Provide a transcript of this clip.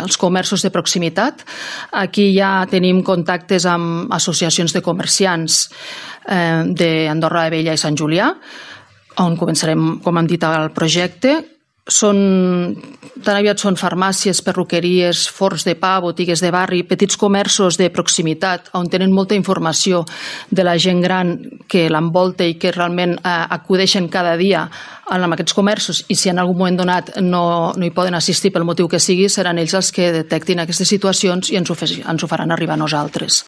els comerços de proximitat. Aquí ja tenim contactes amb associacions de comerciants d'Andorra la Vella i Sant Julià, on començarem, com hem dit, el projecte. Tan aviat són farmàcies, perruqueries, forns de pa, botigues de barri, petits comerços de proximitat on tenen molta informació de la gent gran que l'envolta i que realment acudeixen cada dia a aquests comerços, i si en algun moment donat no hi poden assistir pel motiu que sigui, seran ells els que detectin aquestes situacions i ens ho faran arribar a nosaltres.